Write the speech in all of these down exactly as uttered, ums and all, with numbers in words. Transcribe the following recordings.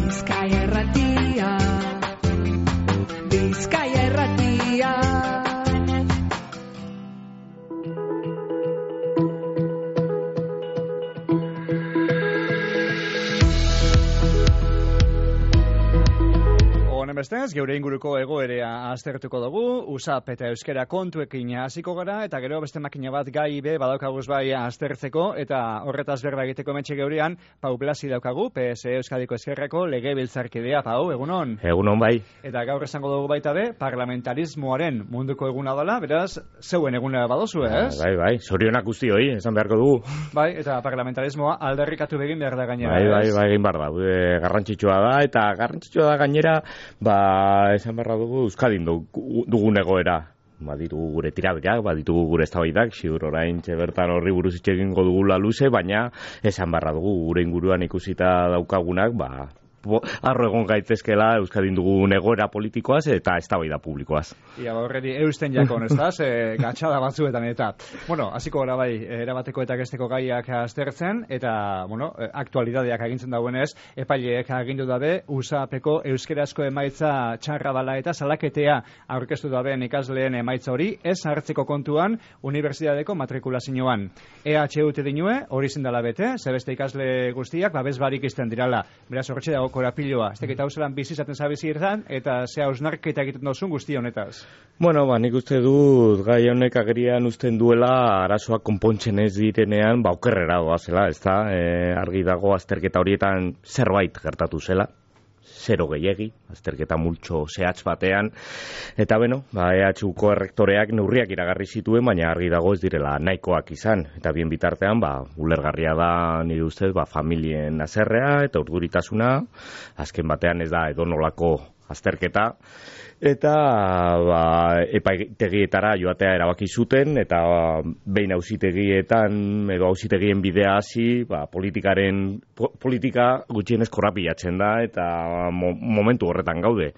Bizkaia Irratia, Bizkaia Irratia. Bestez, geure inguruko egoerea aztertuko dugu, U S A P eta euskera kontuekin hasiko gara, eta gero beste makina bat gai be badaukaguz bai aztertzeko, eta horretaz berba egiteko metxe geurean, Pau Blasi daukagu, P S E Euskadiko Ezkerreko legebiltzarkidea. Pau, egunon? Egunon bai. Eta gaur esango dugu baita be, parlamentarismoaren munduko eguna dela, beraz, zeuen eguna badozu, ez? Bai, bai, sorionak guztioi, esan beharko dugu. Bai, eta parlamentarismoa aldarrikatu begin behar da gainera, bai, bai, ez? bai, egin behar da, garrantzitsua da, eta garrantzitsua da gainera, ba, esan beharra dugu Euskadin dugun egoera. Baditugu gure tirabirak, baditugu gure eztabaidak, ziur orain bertan horri buruz hitz egingo dugula luze, baina esan beharra dugu gure inguruan ikusita daukagunak, ba, arro egon gaitezkela Euskadin dugun egoera politikoaz eta eztabaida publikoaz. Ia, horredi eusten jakon, ez da, ze gatxada batzuetan eta. Bueno, hasiko gara bai, erabateko eta gesteko gaiak aztertzen, eta, bueno, aktualidadeak agintzen dauenez, epaileek agindu dabe, U S A Peko euskerazko emaitza txarra dala eta salaketea aurkeztu dabeen ikasleen emaitza hori, ez hartzeko kontuan, unibertsitateko matrikulazioan. E H U te dinue, hori zindala bete, zebeste ikasle guztiak, babes barik izten dirala. Beraz, horretxe dago korapiloa. Ez teketa hauzelan bizizaten zabizi irtan, eta zea hausnarketa egiten dozun guzti honetaz. Bueno, ba, nik uste dut gai honek agerian uzten duela arazoak konpontzen ez direnean, ba, okerrera doazela, ez da? E, argi dago azterketa horietan zerbait gertatu zela. Zero gehiegi, azterketa multxo zehatz batean, eta beno, ba, E H Uko errektoreak neurriak iragarri zituen, baina argi dago ez direla nahikoak izan, eta bien bitartean, ba, ulergarria da nire ustez, ba, familien azerrea eta urduritasuna, azken batean ez da edonolako azterketa, eta ba, epaitegietara joatea erabaki zuten, eta ba, behin auzitegietan edo auzitegien bidea hasi, ba, politikaren po, politika gutxienez korrapilatzen da, eta mo, momentu horretan gaude.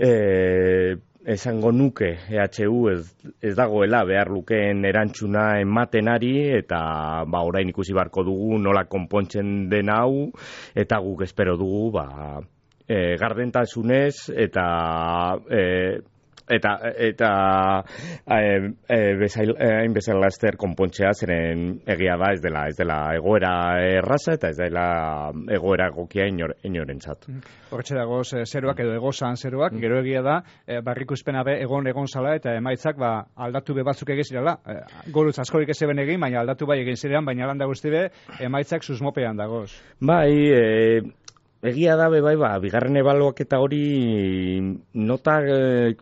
E, esango nuke E H U ez, ez dagoela behar lukeen erantzuna ematenari, eta ba, orain ikusi beharko dugu nola konpontzen den hau, eta guk espero dugu ba, E, gardentasunez eta e, eta eta hain e, e, bezala ester konpontzea, zeren egia da ez dela ez dela egoera erraza eta ez dela egoera egokia inor, inorentzat. Hortxe dago zeruak edo egozan zeruak, gero egia da e, barrikuspena be egon egon zala eta emaitzak ba, aldatu be batzuk egizirela. E, Gorutz askorik ez eben egin, baina aldatu bai egin zirean, baina landa guzti be emaitzak susmopean dagoz. Bai, e, egia da, bai, ba, bigarren ebaluaketa hori nota e,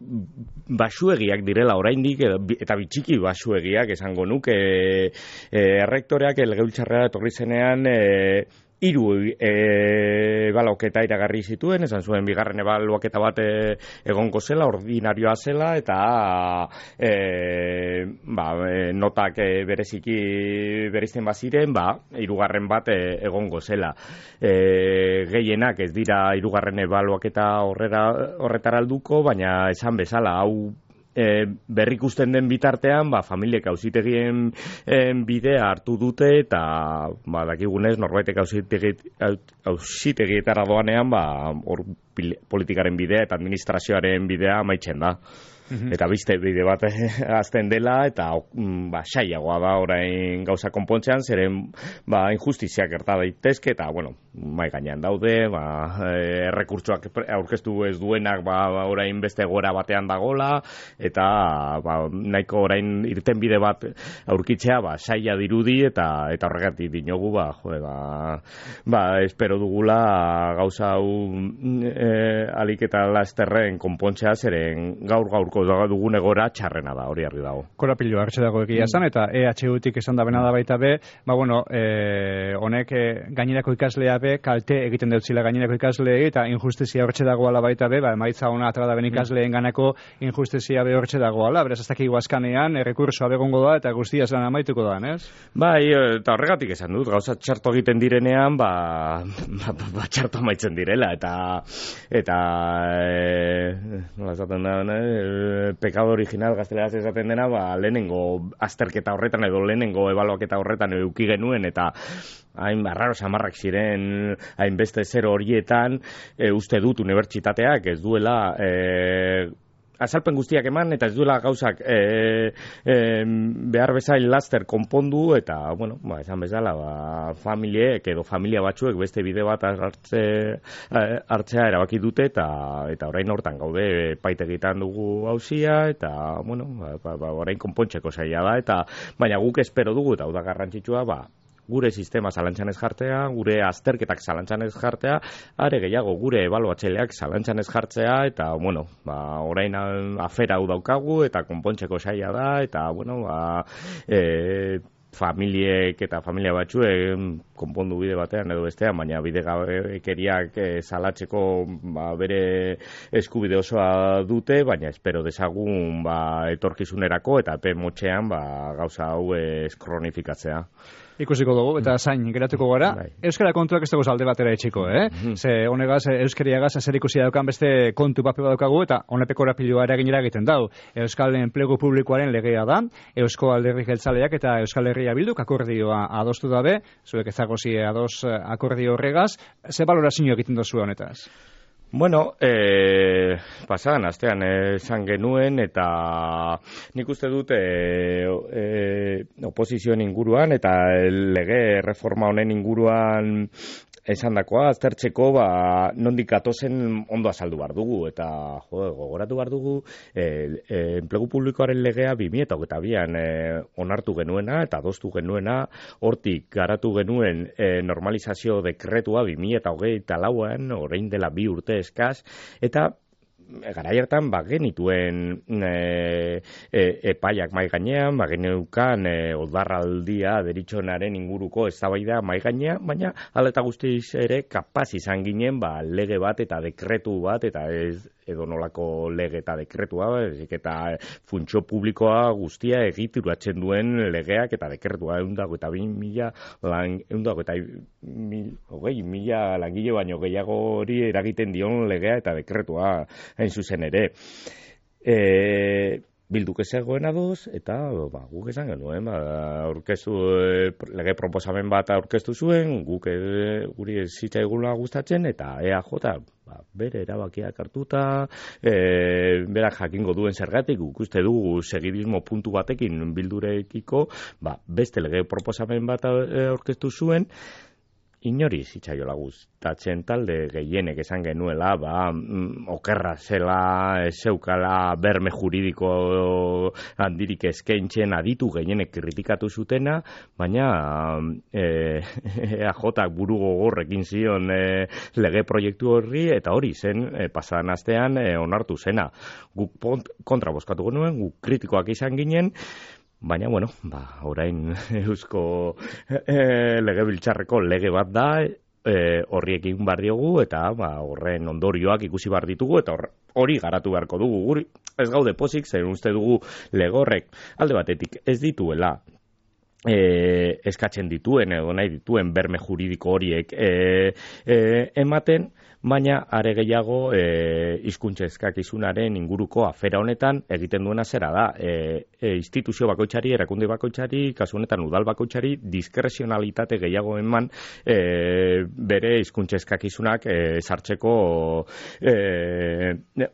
basuegiak direla oraindik, eta bitxiki basuegiak esango nuke, e, e, errektoreak legebiltzarrera etorri zenean, e, hiru ebaluaketa iragarri zituen, esan zuen bigarren ebaluaketa bat e, egongo zela, ordinarioa zela, eta e, ba, e, notak e, bereziki bereizten baziren, ba, hirugarren bat e, egongo zela. E, gehienak ez dira hirugarren ebaluaketa horrera, horretara alduko, baina esan bezala, hau E, berrikusten den bitartean, ba, familiek auzitegien bidea hartu dute, eta ba, dakigunez norbaitek auzitegietara doanean, ba, hor politikaren bidea eta administrazioaren bidea amaitzen da. Mm-hmm. Eta beste bide bat azten dela, eta ba, saiagoa da orain gauza konpontzean, zeren ba, injustiziak gerta daitezke, eta bueno, mai gainean daude, ba, errekurtsoak aurkeztu ez duenak ba, orain beste egoera batean dagola, eta ba, nahiko orain irten bide bat aurkitzea, ba, saia dirudi, eta eta horregatik dinogu, ba, jode, ba, ba, espero dugula gauza hau e, alik eta lasterren konpontzea, zeren gaur gaurko dugun egora txarrena da, hori argi dago. Korapilo hartxe dago egia esan, eta E H Utik esan da bena da baita be, ba bueno, e, honek e, gainerako ikaslea be, kalte egiten dutzila gainerako ikasleei, eta injustizia hortxe dagoala baita be, ba, emaitza ona atra da ben ikasleen ganako injustizia be hortxe dagoala, beraz ez dakigu azkanean, errekursoa begongo da, eta guztia zelan amaituko da, ez? Bai, eta horregatik esan dut, gauza txarto egiten direnean, ba, ba, ba, ba txarto amaitzen direla, eta eta e, nola esaten da, e, pekado original gazteleraz esaten dena, ba, lehenengo azterketa horretan edo lehenengo ebaluaketa horretan eduki genuen, eta hain arraro samarrak ziren hainbeste zero horietan, e, uste dut unibertsitateak ez duela e, azalpen guztiak eman eta ez duela gauzak e, e, behar bezain laster konpondu eta, bueno, ba, esan bezala, ba, familiek edo familia batzuek beste bide bat hartze, hartzea erabaki dute eta eta orain hortan gaude paitegitan dugu hauzia eta, bueno, ba, ba, ba, orain konpontzeko zaila da eta baina guk espero dugu eta hau da garrantzitsua, ba, gure sistema zalantzan ez jartzea, gure azterketak zalantzan ez jartzea, are gehiago gure ebaluatzaileak zalantzan ez jartzea, eta, bueno, ba, orain afera hau daukagu, eta konpontzeko saia da, eta, bueno, ba, e, familiek eta familia batzuek konpondu bide batean edo bestean, baina bide gabekeriak e, salatzeko ba, bere eskubide osoa dute, baina espero dezagun ba, etorkizunerako eta epe motxean ba, gauza hau ez kronifikatzea. Ikusiko dugu, eta zain geratuko gara. Bai. Euskara kontuak ez dugu alde batera etxiko, eh? Mm-hmm. Ze honegaz, euskariagaz, zer ikusi daukan beste kontu pape badaukagu, eta honepeko rapilua eraginera egiten dau. Euskal Enplegu Publikoaren legea da, Eusko Alderdi Jeltzaleak eta Euskal Herria Bilduk akordioa adostu dabe, zuek ezagozi ados akordio horregaz, ze balorazio egiten dozu honetaz? Bueno, eh, pasadan astean esan genuen eta nik uste dut eh, eh, oposizioen inguruan eta lege reforma honen inguruan esandakoa aztertzeko ba nondik gatozen ondo azaldu behar dugu eta jo, gogoratu behar dugu eh, eh, enplegu publikoaren legea bi mila hogeita bian eh, onartu genuena eta adostu genuena, hortik garatu genuen eh, normalizazio dekretua bi mila hogeita lauan, orain dela bi urte eskaz, eta garai hartan ba genituen e, e, epaiak mai gainean, ba geneukan e, odarraldia deritzonaren inguruko eztabaida mai gainean, baina hala eta guztiz ere kapaz izan ginen ba lege bat eta dekretu bat eta ez edo nolako lege eta dekretua, ezik eta funtzio publikoa guztia egituratzen duen legeak eta dekretua ehuneko eta bi mila lan ehuneko eta hogei mila langile baino gehiago hori eragiten dion legea eta dekretua hain zuzen ere. E, Bilduk ez zegoen adoz, eta ba, guk esan genuen, ba, aurkeztu, lege proposamen bat aurkeztu zuen, guk e, guri ez zitzaigula gustatzen, eta E A J ba, bere erabakiak hartuta, e, berak jakingo duen zergatik, guk uste dugu segidismo puntu batekin bildurekiko, ba, beste lege proposamen bat aurkeztu zuen, inori zitzaiola gustatzen talde gehienek esan genuela, ba, mm, okerra zela, zeukala berme juridiko handirik eskaintzen aditu gehienek kritikatu zutena, baina e, E A J buru gogorrekin zion e, lege proiektu horri, eta hori zen e, pasadan astean e, onartu zena. Guk kontra bozkatu genuen, guk kritikoak izan ginen, baina, bueno, ba, orain eusko e, legebiltzarreko lege bat da, e, horriekin bar diogu, eta ba, horren ondorioak ikusi bar ditugu, eta hori garatu beharko dugu. Guri ez gaude pozik, zer uste dugu legorrek alde batetik ez dituela e, eskatzen dituen, edo nahi dituen berme juridiko horiek e, e, ematen, baina are gehiago e, hizkuntza eskakizunaren inguruko afera honetan egiten duena zera da. E, e, instituzio bakoitzari, erakunde bakoitzari, kasu honetan udal bakoitzari, diskrezionalitate gehiago eman e, bere hizkuntza eskakizunak e, sartzeko e,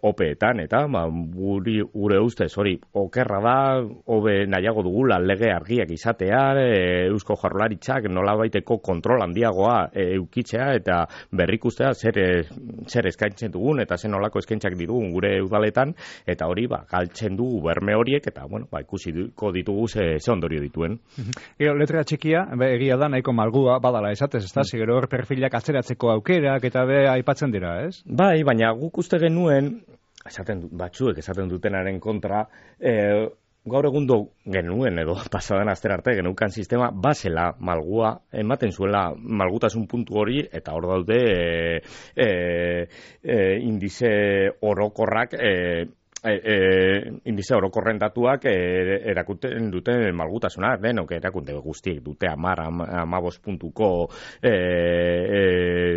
opeetan, eta ba, guri, gure ustez hori okerra da, hobe nahiago dugula lege argiak izatea, e, Eusko Jaurlaritzak nolabaiteko kontrol handiagoa e, eukitzea eta berrikustea zer zer eskaintzen dugun eta zen olako eskaintzak ditugun gure udaletan, eta hori ba, galtzen dugu berme horiek, eta bueno, ba, ikusiko ditugu ze, ze ondorio dituen. Gero, letra txikia, be, egia da nahiko malgua badala esatez, ez da? Gero hor perfilak atzeratzeko aukerak eta be aipatzen dira, ez? Bai, baina guk uste genuen, esaten batzuek esaten dutenaren kontra, eh, gaur egundo genuen edo pasadan astera arte geneukan sistema basela malgua ematen zuela malgutasun puntu hori, eta hor daude e, e, e, indize orokorrak e, e, e, indize orokorren datuak e, erakuten dute malgutasuna, denok erakunde guztiek dute hamar, hamabost puntuko e, e,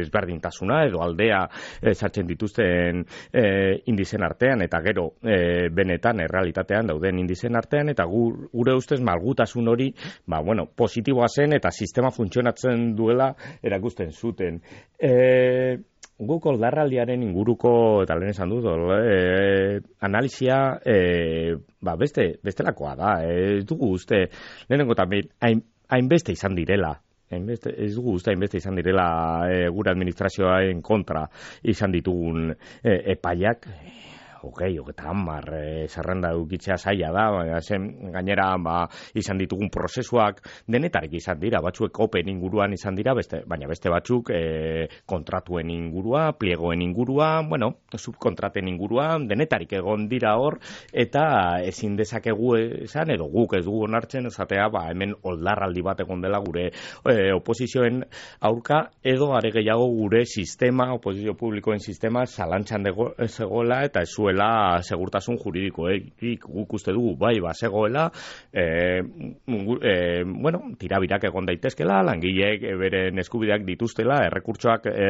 ezberdintasuna edo aldea e, sartzen dituzten e, indizen artean, eta gero e, benetan errealitatean dauden indizen artean, eta gu, gure ustez malgutasun hori ba, bueno, positiboa zen eta sistema funtzionatzen duela erakusten zuten. E, Guk oldarraldiaren inguruko, eta lehen esan dut, e, analisia e, ba, beste, bestelakoa da. Ez dugu uste, lehenengo también, hain, hainbeste izan direla. Hainbeste, ez dugu uste hainbeste izan direla e, gure administrazioaren kontra izan ditugun e, epaiak. Hogei, hogeta hamar, e, zerrenda dukitzea zaila da, baina zen, gainera ba, izan ditugun prozesuak denetarik izan dira, batzuek open inguruan izan dira, beste, baina beste batzuk e, kontratuen ingurua, pliegoen ingurua, bueno, subkontraten ingurua, denetarik egon dira hor, eta ezin dezakegu esan, edo guk ez dugu onartzen, esatea, ba, hemen oldarraldi bat egon dela gure e, oposizioen aurka, edo are gehiago gure sistema, oposizio publikoen sistema, zalantzan zegoela, eta ez zuela segurtasun juridikoek guk uste dugu bai bazegoela e, e, bueno, tirabirak egon daitezkela, langileek beren eskubideak dituztela, errekurtsoak e,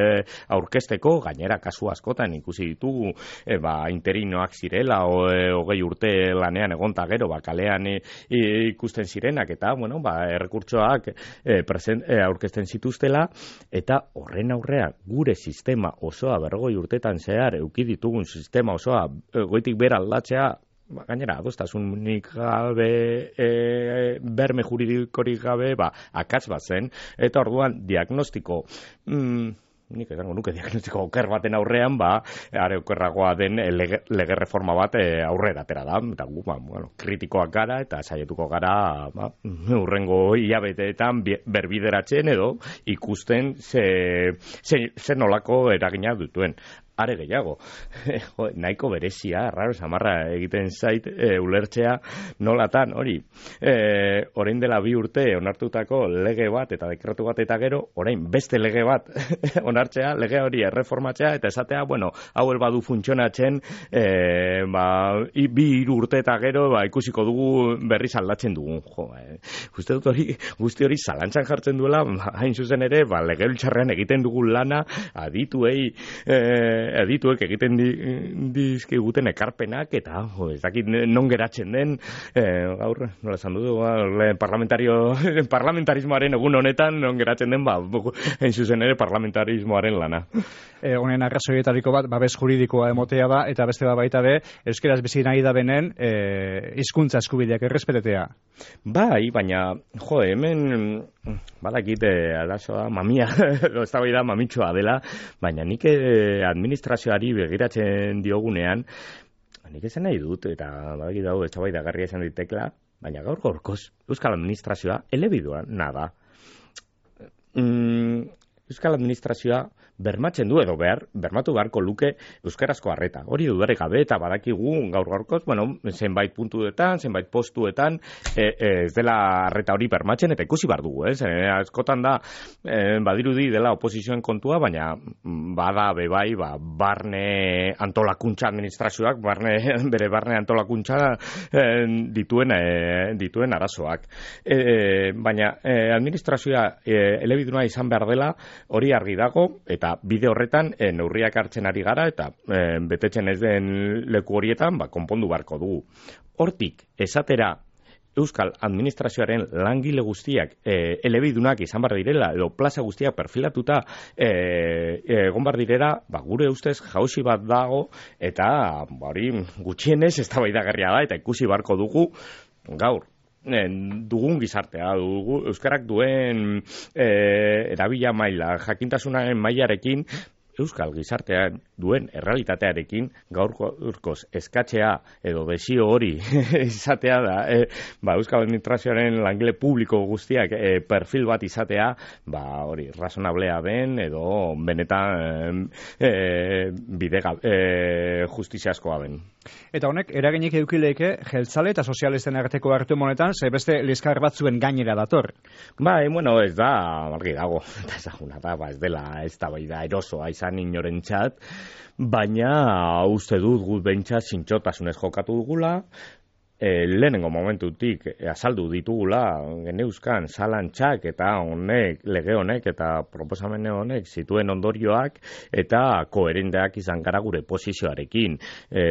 aurkezteko, gainera kasu askotan ikusi ditugu e, ba, interinoak zirela o, e, hogei urte lanean egonta gero, ba, kalean e, ikusten zirenak, eta bueno, ba, errekurtsoak e, present, e, aurkezten zituztela, eta horren aurrean gure sistema osoa berrogei urtetan zehar euki ditugun sistema osoa goitik bera aldatzea, ba, gainera, adostasunik gabe, e, berme juridikorik gabe, ba, akats bat zen, eta orduan diagnostiko, mm, nik esango nuke diagnostiko oker baten aurrean, ba, are okerragoa den lege, lege reforma bat e, aurrera atera da, eta gu, ba, bueno, kritikoak gara, eta saietuko gara, ba, urrengo hilabeteetan berbideratzen edo ikusten ze, ze, ze nolako eragina dutuen. Are gehiago, jo, nahiko berezia, raro samarra egiten zait e, ulertzea nolatan, hori, e, orain dela bi urte onartutako lege bat eta dekretu bat eta gero, orain beste lege bat onartzea, lege hori erreformatzea, eta esatea, bueno, hau badu funtzionatzen, e, ba, i, bi hiru urte eta gero, ba, ikusiko dugu berriz aldatzen dugun, jo, e, uste dut hori, guzti hori zalantzan jartzen duela, ba, hain zuzen ere, ba, legebiltzarrean egiten dugun lana, adituei, e, edituek egiten di, dizkiguten ekarpenak, eta jo, ez dakit non geratzen den, eh, gaur, nola esan dugu, ba, parlamentario, parlamentarismoaren egun honetan, non geratzen den, ba, hain zuzen ere parlamentarismoaren lana. E, honen arrazoietariko bat, babes juridikoa emotea da, eta beste bat baita be, euskeraz bizi nahi da benen, e, hizkuntza eskubideak errespetetea. Bai, baina, jo, hemen, badakit, arazoa, mamia, ez da bai da mamitxoa dela, baina nik administrazioari begiratzen diogunean, nik esan nahi dut, eta badakit dago, ez da bai da garria esan ditekla, baina gaur gorkoz, Euskal Administrazioa elebidua nada. Mm, Euskal Administrazioa bermatzen du edo behar, bermatu beharko luke euskarazko harreta. Hori dudarik gabe eta badakigu gaur gaurkoz, bueno, zenbait puntuetan, zenbait postuetan, e, e, ez dela harreta hori bermatzen, eta ikusi bar dugu, ez? E, askotan da, e, badirudi dela oposizioen kontua, baina bada bebai, ba, barne antolakuntza administrazioak, barne, bere barne antolakuntza e, dituen, e, dituen arazoak. E, baina e, administrazioa e, elebiduna izan behar dela, hori argi dago, eta bide horretan e, neurriak hartzen ari gara, eta e, betetzen ez den leku horietan, ba, konpondu beharko dugu. Hortik, esatera Euskal Administrazioaren langile guztiak e, elebidunak izan bar direla, edo plaza guztiak perfilatuta e, egon bar direla, ba, gure ustez jauzi bat dago, eta hori gutxienez eztabaidagarria da, eta ikusi beharko dugu gaur. Dugun gizartea, dugu, euskarak duen e, erabila maila, jakintasunaren mailarekin, euskal gizartean duen errealitatearekin gaurkoz eskatzea edo desio hori izatea da, e, ba, Euskal Administrazioaren langile publiko guztiak e, perfil bat izatea, ba, hori, razonablea den edo benetan e, bide e, justiziazkoa den. Eta honek, eraginik eukileike, jeltzale eta sozialisten arteko hartu monetan, ze beste liskar batzuen gainera dator. Bai, bueno, ez da, argi dago, eta ezaguna da, ba, ez dela, ez da bai da erosoa izan inorentzat, baina uste dut gut behintzat zintxotasunez jokatu dugula, E, lehenengo momentutik e, azaldu ditugula geneuzkan zalantzak eta honek, lege honek eta proposamen honek zituen ondorioak eta koherenteak izan gara gure posizioarekin. E,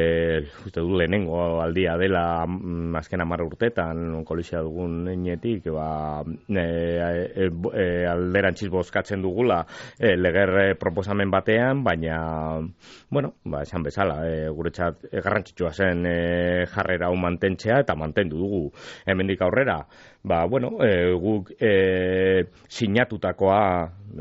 uste du lehenengo aldia dela m, azken hamar urtetan kolizia dugun enetik ba, e, e, e, alderantziz bozkatzen dugula e, leger proposamen batean, baina bueno, ba, esan bezala, e, guretzat e, garrantzitsua zen e, jarrera hau mantentzen eta mantendu dugu hemendik aurrera. Ba, bueno, e, guk e, sinatutakoa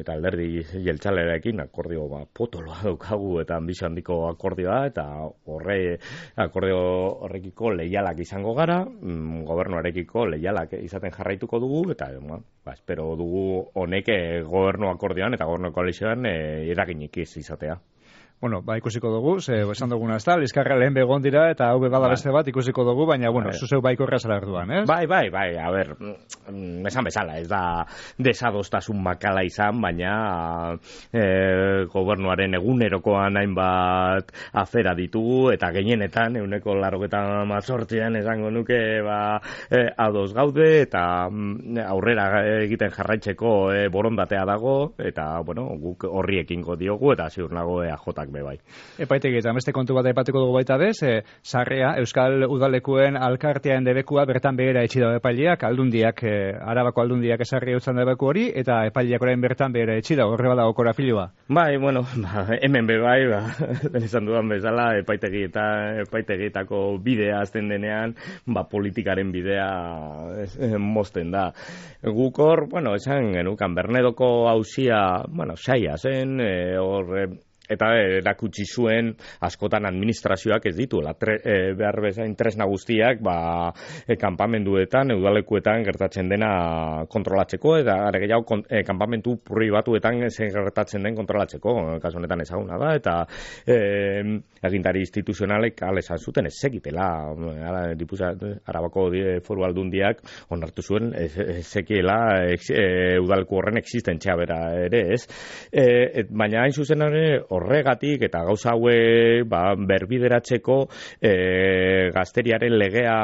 eta alderdi jeltzalearekin akordio ba, potoloa daukagu eta ambizio handiko akordioa eta horre akordio horrekiko leialak izango gara, mm, gobernuarekiko leialak izaten jarraituko dugu eta ba, ba, espero dugu honek e, gobernu akordioan eta gobernu koalizioan e, eraginik ez izatea. Bueno, ba, ikusiko dugu, ze esan duguna ez da, liskarra lehen begon dira, eta hau bada beste bat ikusiko dugu, baina, bueno, zuzeu baiko errazara erduan, ez? Bai, bai, bai, a ber, esan bezala, ez da desadostasun makala izan, baina e, gobernuaren egunerokoan hainbat afera ditugu, eta gehienetan, euneko larrogetan mazortzian esango nuke, ba, e, ados gaude, eta aurrera egiten jarraitzeko e, borondatea dago, eta, bueno, guk horri ekingo diogu, eta ziur nago E A J be bai. Epaitegi eta beste kontu bat aipatuko dugu baita bez, e, sarrea Euskal Udalekuen alkartearen debekua bertan behera etxi da epaileak, aldundiak, e, Arabako aldundiak esarri eutzan debeku hori, eta epaileak orain bertan behera etxi da, horre badago korapilua. Bai, bueno, ba, hemen be bai, ba, izan dudan bezala, epaitegi eta epaitegietako bidea azten denean, ba, politikaren bidea ez, eh, mozten da. Gukor, bueno, esan genukan, Bernedoko auzia, bueno, saia zen, hor, e, eta erakutsi zuen askotan administrazioak ez dituela e, behar bezain tresna guztiak ba, e, kanpamenduetan, udalekuetan gertatzen dena kontrolatzeko eta are gehiago kon, e, kanpamentu pribatuetan zer gertatzen den kontrolatzeko, kasu honetan ezaguna da eta e, agintari instituzionalek ala esan zuten ez zekitela Arabako foru aldundiak onartu zuen ez zekiela e, udaleku horren existentzia bera ere ez e, et, baina hain zuzen ere horregatik eta gauza haue ba, berbideratzeko e, gazteriaren legea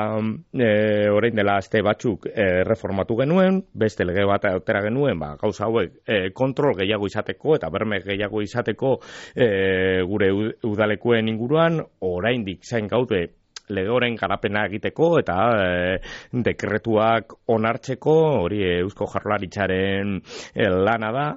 e, orain dela aste batzuk e, reformatu genuen, beste lege bat atera genuen, ba, gauza hauek e, kontrol gehiago izateko eta berme gehiago izateko e, gure udalekuen inguruan, oraindik zain gaude lege horren garapena egiteko eta e, dekretuak onartzeko, hori Eusko Jaurlaritzaren e, lana da.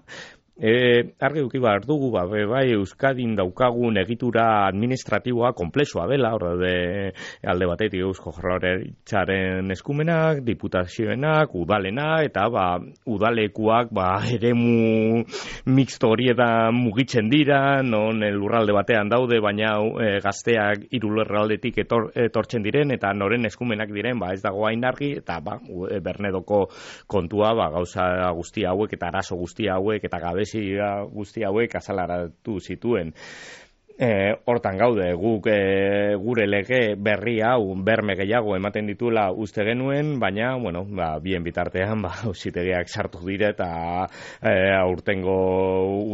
E, argi duki behar dugu, ba, bai, Euskadin daukagun egitura administratiboa komplexua dela, hor de alde batetik Eusko Jaurlaritzaren eskumenak, diputazioenak, udalena, eta ba, udalekuak ba, eremu mixto horietan mugitzen dira, non lurralde batean daude, baina e, gazteak hiru lurraldetik etor, etortzen diren, eta noren eskumenak diren, ba, ez dago hain argi, eta ba, Bernedoko kontua, ba, gauza guzti hauek, eta arazo guzti hauek, eta gabe guzti hauek azalaratu zituen. E, hortan gaude, guk e, gure lege berri hau berme gehiago ematen dituela uste genuen, baina, bueno, ba, bien bitartean, ba, auzitegiak sartu dire eta e, aurtengo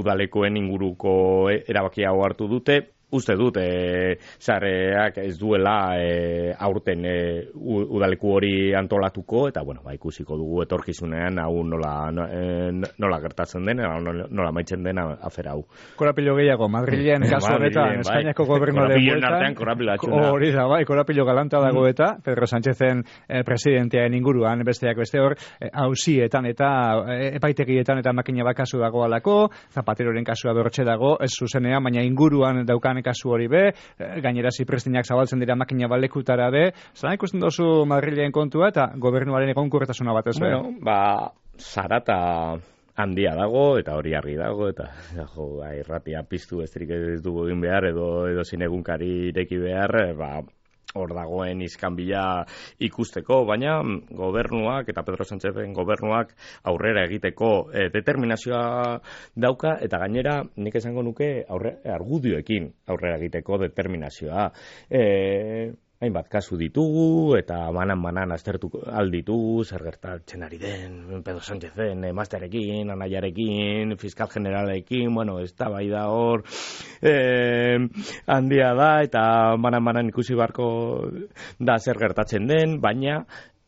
udalekoen inguruko erabaki hau hartu dute. Uste dut, e, zareak ez duela e, aurten e, udaleku hori antolatuko, eta, bueno, ba, ikusiko dugu etorkizunean hau nola, no, e, nola gertatzen den, nola, nola maitzen den afera hau. Korapilo gehiago, Madrilen, kasu honetan, Espainiako gobernuaren bueltan. Artean korapilo atxuna. Hori da, bai, korapilo galanta dago eta, Pedro Sánchezen e, presidentearen inguruan, besteak beste hor, hausietan e, eta e, epaitegietan eta makina bakasu dago alako, Zapateroren kasua bertxe dago, ez zuzenean, baina inguruan daukan kasu hori be, gainera ziprestinak zabaltzen dira makina balekutara be, zara ikusten dozu Madrilen kontua eta gobernuaren egonkortasuna batez be? Bueno, ba, zarata handia dago, eta hori argi dago, eta jo, irratia piztu besterik ez dugu egin behar, edo, edo zinegunkari ireki behar, ba, hor dagoen iskanbila ikusteko, baina gobernuak eta Pedro Sánchezen gobernuak aurrera egiteko e, determinazioa dauka, eta gainera nik esango nuke aurre, argudioekin aurrera egiteko determinazioa. E, hainbat kasu ditugu, eta banan-banan aztertu alditugu, zer gertatzen ari den Pedro Sánchezen emaztearekin, anaiarekin, fiskal generalekin, bueno, ez da bai da hor eh, handia da, eta banan-banan ikusi barko da zer gertatzen den, baina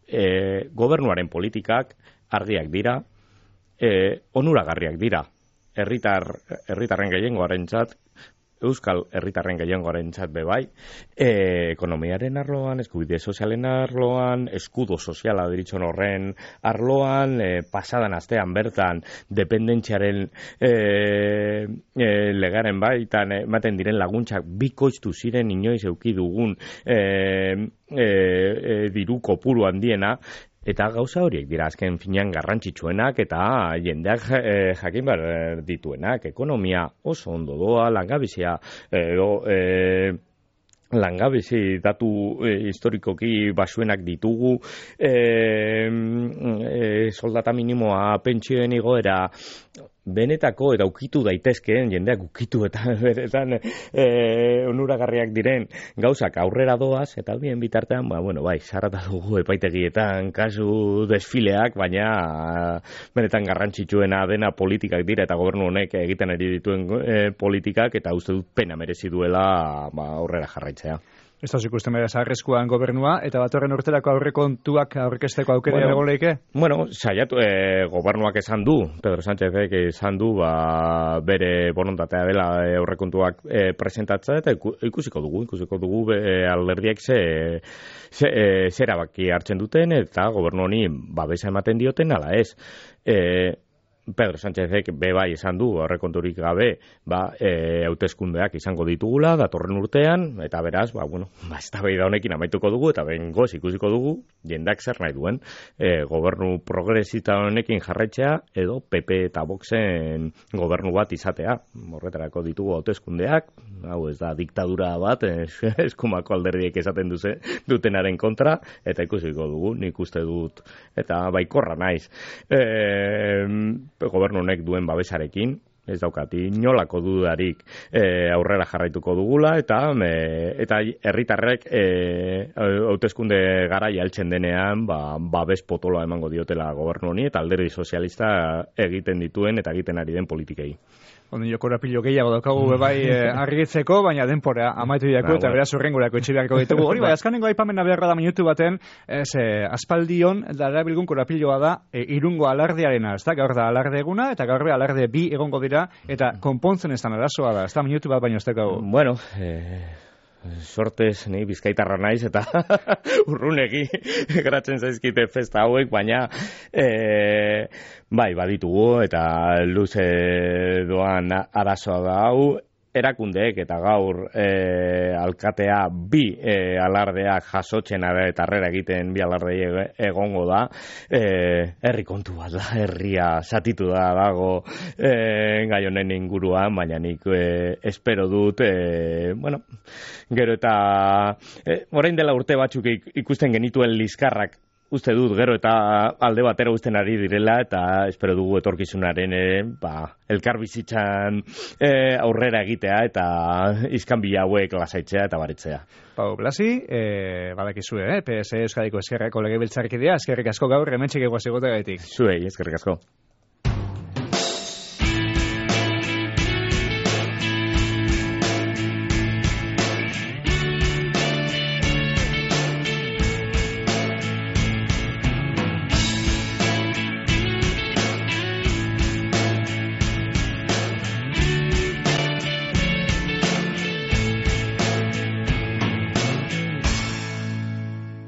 eh, gobernuaren politikak argiak dira, eh, onuragarriak dira, herritar herritarren gehiengoarentzat, Euskal herritarren gehiengoarentzat be bai, e, ekonomiaren arloan, eskubide sozialen arloan, eskudo soziala deritzon horren arloan, e, pasadan astean bertan dependentziaren e, e, legaren baitan ematen diren laguntzak bikoiztu ziren inoiz eduki dugun e, e, e, diru kopuru handiena. Eta gauza horiek dira azken finean garrantzitsuenak eta jendeak eh, jakin behar dituenak. Ekonomia oso ondo doa, langabizia edo eh, langabizi datu eh, historikoki basuenak ditugu, eh, eh, soldata minimoa, pentsioen igoera, benetako eta ukitu daitezkeen, jendeak ukitu eta beretan e, onuragarriak diren gauzak aurrera doaz, eta bien bitartean, ba, bueno, bai, sarrata dugu epaitegietan kasu desfileak, baina benetan garrantzitsuena dena politikak dira, eta gobernu honek egiten ari dituen e, politikak, eta uste dut pena merezi duela ba, aurrera jarraitzea. Ez da ikusten bera zarrezkoan gobernua, eta batorren urterako aurrekontuak aurkezteko aukera bueno, egon leike? Bueno, saiatu, e, gobernuak esan du, Pedro Sánchezek esan du, ba, bere borondatea dela e, aurrekontuak e, presentatzea, eta ikusiko dugu, ikusiko dugu e, alderdiek ze, ze, e, zera baki hartzen duten, eta gobernu honi babesa ematen dioten, ala ez. E, Pedro Sánchezek be bai esan du aurrekonturik gabe, ba, e, hauteskundeak izango ditugula datorren urtean, eta beraz, ba, bueno, ba, eztabaida honekin amaituko dugu, eta behingoz ikusiko dugu, jendak zer nahi duen, e, gobernu progresista honekin jarraitzea, edo P P eta Voxen gobernu bat izatea. Horretarako ditugu hauteskundeak, hau ez da diktadura bat, eskumako alderdiek esaten duze, dutenaren kontra, eta ikusiko dugu, nik uste dut, eta baikorra naiz. E, gobernu honek duen babesarekin, ez daukati inolako dudarik e, aurrera jarraituko dugula, eta e, eta herritarrek e, hauteskunde garaia heltzen denean, ba, babes potoloa emango diotela gobernu honi, eta alderdi sozialista egiten dituen eta egiten ari den politikei. Ondo korapilo gehiago daukagu bai eh, argitzeko, baina denpora amaitu diako, eta beraz urrengurako itxibeako ditugu. Hori bai, azkanengo aipamena beharra da minutu baten, ez, eh, aspaldion darabilgun korapiloa da e, irungo alardearena, ez da, gaur da alarde eguna, eta gaur be alarde bi egongo dira, eta konpontzen ez da arazoa da, ez da minutu bat baino ez daukagu. Bueno, eh... sortez, ni bizkaitarra naiz, eta urrunegi geratzen zaizkite festa hauek, baina e, bai, baditugu, eta luze doan arazoa da hau, erakundeek eta gaur e, alkatea bi e, alardeak jasotzen eta harrera egiten bi alardei egongo da, e, herri kontu bat da, herria zatitu da dago e, gai honen inguruan, baina nik e, espero dut, e, bueno, gero eta e, orain dela urte batzuk ikusten genituen liskarrak, uste dut, gero eta alde batera uzten ari direla, eta espero dugu etorkizunaren e, ba, elkar bizitzan e, aurrera egitea, eta iskanbila hauek lasaitzea eta baritzea. Pau Blasi, e, badakizue, eh? P S Euskadiko eskerrako legebiltzarkidea, eskerrik asko gaur, hementxik eguaz egotegatik. Zuei, eskerrik asko.